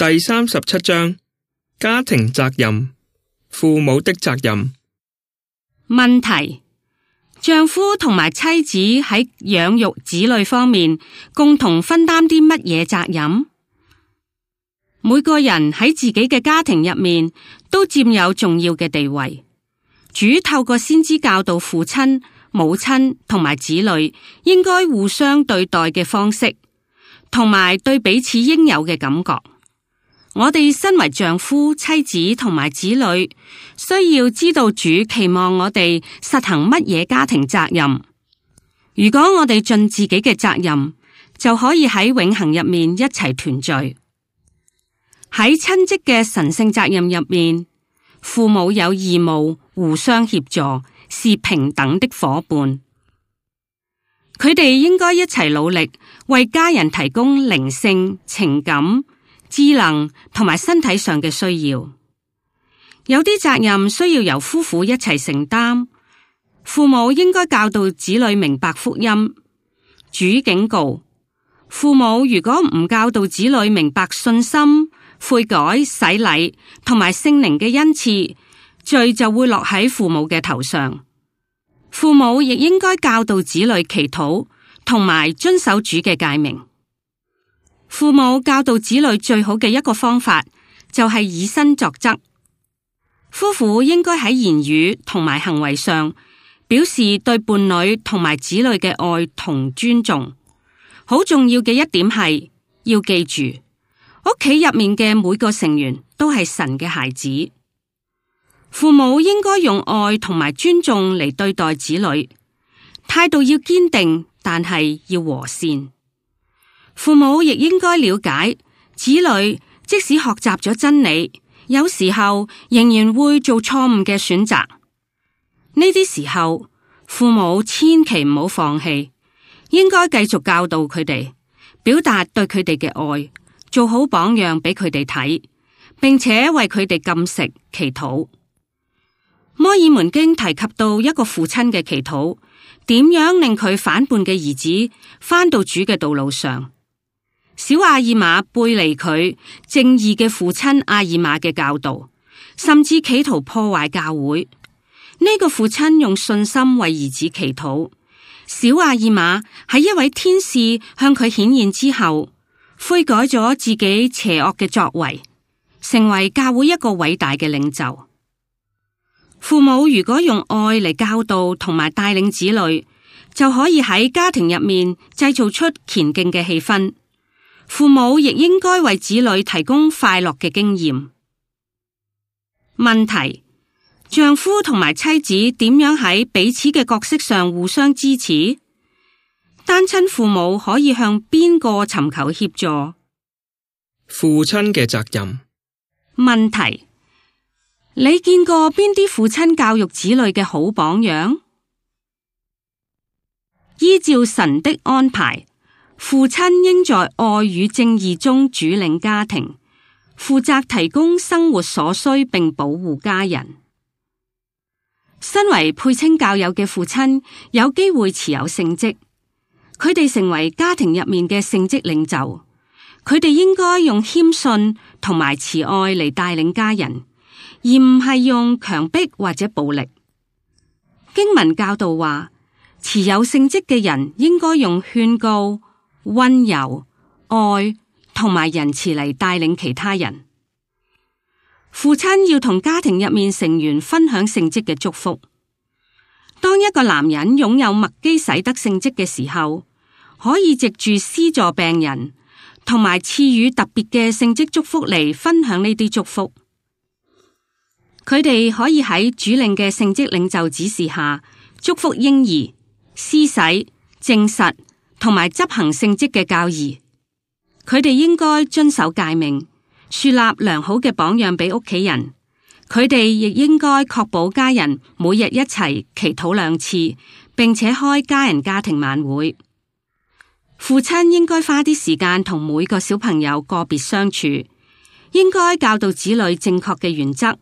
第37章，家庭責任，父母的責任。問題：丈夫同埋妻子喺養育子女方面共同分擔啲乜嘢責任？每個人喺自己嘅家庭入面都佔有重要嘅地位。主透過先知教導父親、母親同埋子女應該互相對待嘅方式，同埋對彼此應有嘅感覺。我哋身為丈夫、妻子同埋子女，需要知道主期望我哋實行乜嘢家庭責任。如果我哋盡自己嘅責任，就可以喺永恆入面一齊團聚。喺親職嘅神聖責任入面，父母有義務互相協助，是平等的夥伴。佢哋應該一齊努力，為家人提供靈性、情感、智能同埋身體上嘅需要。有啲責任需要由夫婦一齊承擔。父母應該教導子女明白福音。主警告，父母如果唔教導子女明白信心、悔改、洗禮同埋聖靈嘅恩賜，罪就會落喺父母嘅頭上。父母亦應該教導子女祈禱同埋遵守主嘅誡命。父母教導子女最好嘅一個方法就係以身作則。夫婦應該喺言語同埋行為上表示對伴侶同埋子女嘅愛同尊重。好重要嘅一點係要記住，屋企入面嘅每個成員都係神嘅孩子。父母應該用愛同埋尊重嚟對待子女，態度要堅定，但係要和善。父母亦應該了解，子女即使學習咗真理，有時候仍然會做錯誤嘅選擇。呢啲時候，父母千祈唔好放棄，應該繼續教導佢哋，表達對佢哋嘅愛，做好榜樣俾佢哋睇，並且為佢哋禁食祈禱。摩爾門經提及到一個父親嘅祈禱，點樣令佢反叛嘅兒子返到主嘅道路上。小阿爾瑪背離佢正義嘅父親阿爾瑪嘅教導，甚至企圖破壞教會。呢個父親用信心為兒子祈禱。小阿爾瑪喺一位天使向佢顯現之後，悔改咗自己邪惡嘅作為，成為教會一個偉大嘅領袖。父母如果用愛嚟教導同埋帶領子女，就可以喺家庭入面製造出虔敬嘅氣氛。父母亦應該為子女提供快樂嘅經驗。問題：丈夫同埋妻子點樣喺彼此嘅角色上互相支持？單親父母可以向邊個尋求協助？父親嘅責任。問題：你見過邊啲父親教育子女嘅好榜樣？依照神的安排，父親應在愛與正義中主領家庭，負責提供生活所需並保護家人。身為配稱教友嘅父親，有機會持有聖職，佢哋成為家庭入面嘅聖職領袖。佢哋應該用謙遜同埋慈愛嚟帶領家人，而唔係用強迫或者暴力。經文教導話，持有聖職嘅人應該用勸告、溫柔、愛同埋仁慈嚟帶領其他人。父親要同家庭入面成員分享聖職嘅祝福。當一個男人擁有麥基洗德聖職嘅時候，可以藉住施助病人同埋賜予特別嘅聖職祝福嚟分享呢啲祝福。佢哋可以喺主領嘅聖職領袖指示下，祝福嬰兒、施洗、證實同埋執行聖職嘅教義。佢哋應該遵守誡命，樹立良好嘅榜樣俾屋企人。佢哋亦應該確保家人每日一齊祈禱2次，並且開家人家庭晚會。父親應該花啲時間同每個小朋友個別相處，應該教導子女正確嘅原則，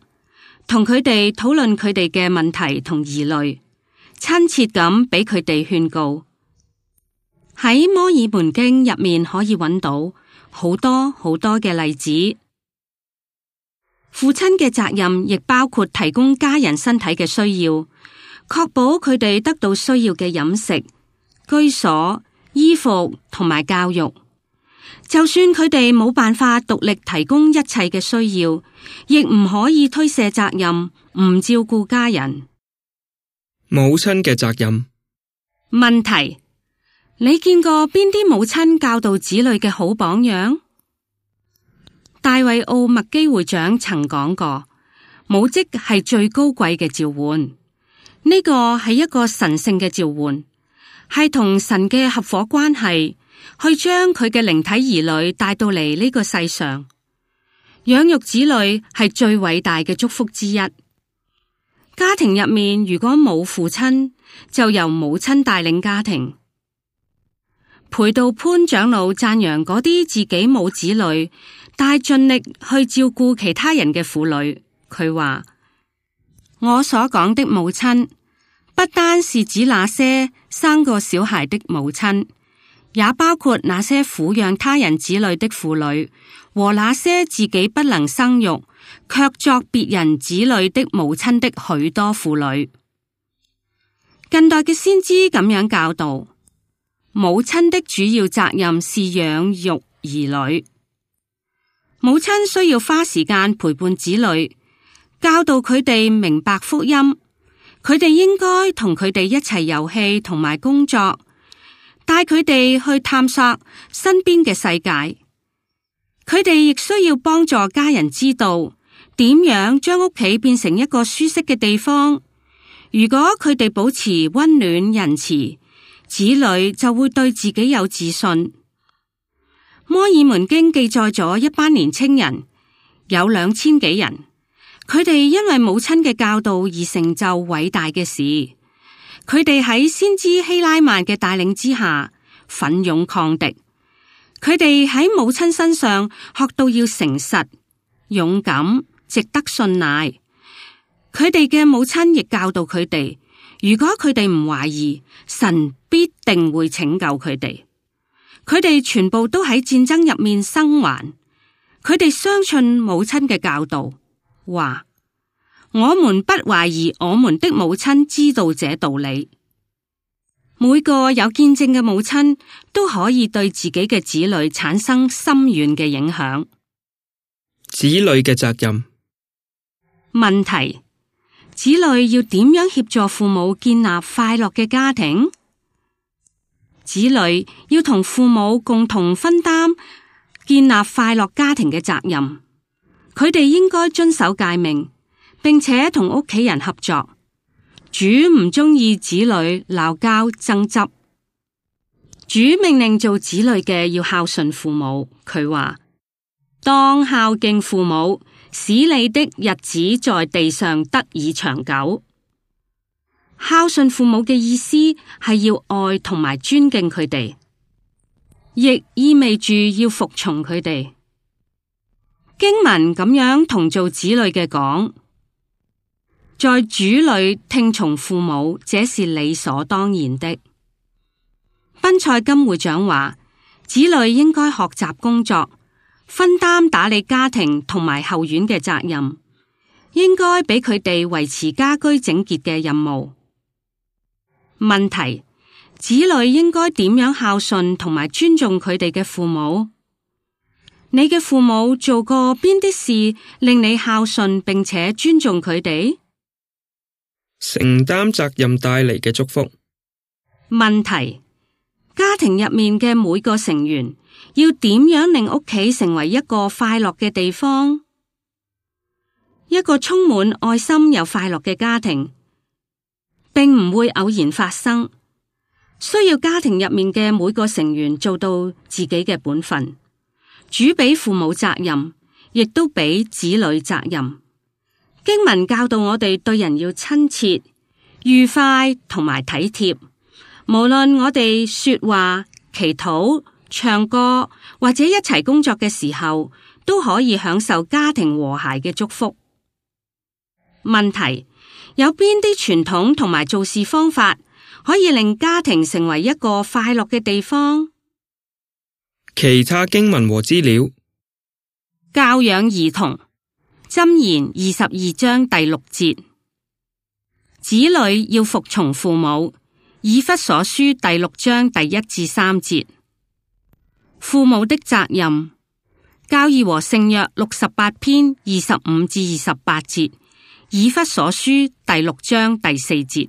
同佢哋討論佢哋嘅問題同疑慮，親切咁俾佢哋勸告。喺摩爾門經入面可以揾到好多好多嘅例子。父親嘅責任亦包括提供家人身體嘅需要，確保佢哋得到需要嘅飲食、居所、衣服同埋教育。就算佢哋冇辦法獨力提供一切嘅需要，亦唔可以推卸責任，唔照顧家人。母親嘅責任。問題：你見過邊啲母親教導子女嘅好榜樣？大衛奧麥基會長曾講過，母職係最高貴嘅召喚，呢個係一個神聖嘅召喚，係同神嘅合夥關係，去將佢嘅靈體兒女帶到嚟呢個世上。養育子女係最偉大嘅祝福之一。家庭入面如果冇父親，就由母親帶領家庭。裴道潘長老讚揚嗰啲自己冇子女，但係盡力去照顧其他人嘅婦女。佢話：我所講的母親，不單是指那些生過小孩的母親，也包括那些撫養他人子女的婦女，和那些自己不能生育，卻作別人子女的母親的許多婦女。近代嘅先知咁樣教導：母親的主要責任是養育兒女。母親需要花時間陪伴子女，教導佢哋明白福音。佢哋應該同佢哋一齊遊戲同埋工作，帶佢哋去探索身邊嘅世界。佢哋亦需要幫助家人知道點樣將屋企變成一個舒適嘅地方。如果佢哋保持溫暖仁慈，子女就會對自己有自信。摩爾門經記載咗一班年青人，有2000幾人，佢哋因為母親嘅教導而成就偉大嘅事。佢哋喺先知希拉曼嘅帶領之下，奮勇抗敵。佢哋喺母親身上學到要誠實、勇敢、值得信賴。佢哋嘅母親亦教導佢哋，如果佢哋唔懷疑，神必定會拯救佢哋。佢哋全部都喺戰爭入面生還。佢哋相信母親嘅教導，話：我們不懷疑我們的母親知道這道理。每個有見證嘅母親都可以對自己嘅子女產生深遠嘅影響。子女嘅責任。問題：子女要點樣協助父母建立快樂嘅家庭？子女要同父母共同分擔建立快樂家庭嘅責任。佢哋應該遵守誡命，並且同屋企人合作。主唔中意子女鬧交爭執。主命令做子女嘅要孝順父母。佢話：當孝敬父母，使你的日子在地上得以長久。孝順父母嘅意思係要愛同埋尊敬佢哋，亦意味住要服從佢哋。經文咁樣同做子女嘅講：在主裏聽從父母，這是理所當然的。賓塞金會長話：子女應該學習工作，分擔打理家庭同埋後院嘅責任，應該俾佢哋維持家居整潔嘅任務。問題：子女應該點樣孝順同埋尊重佢哋嘅父母？你嘅父母做過邊啲事令你孝順並且尊重佢哋？承擔責任帶嚟嘅祝福。問題：家庭入面嘅每個成員要點樣令屋企成為一個快樂嘅地方？一個充滿愛心又快樂嘅家庭並唔會偶然發生，需要家庭入面嘅每個成員做到自己嘅本分。主俾父母責任，亦都俾子女責任。經文教導我哋對人要親切、愉快同埋體貼。無論我哋說話、祈禱、唱歌或者一齊工作嘅時候，都可以享受家庭和諧嘅祝福。問題：有邊啲傳統同埋做事方法可以令家庭成為一個快樂嘅地方？其他經文和資料。教養兒童，箴言22章第6節，子女要服從父母。以弗所書第6章第1至3節，父母的責任。教義和聖約68篇25至28節，以弗所書第6章第4節。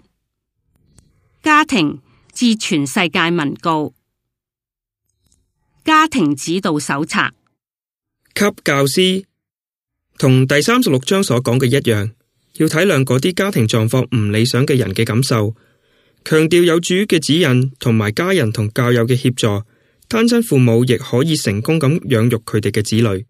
家庭致全世界文告，家庭指導手冊，給教師。同第36章所講嘅一樣，要體諒嗰啲家庭狀況唔理想嘅人嘅感受，強調有主嘅指引同埋家人同教友嘅協助，單親父母亦可以成功咁養育佢哋嘅子女。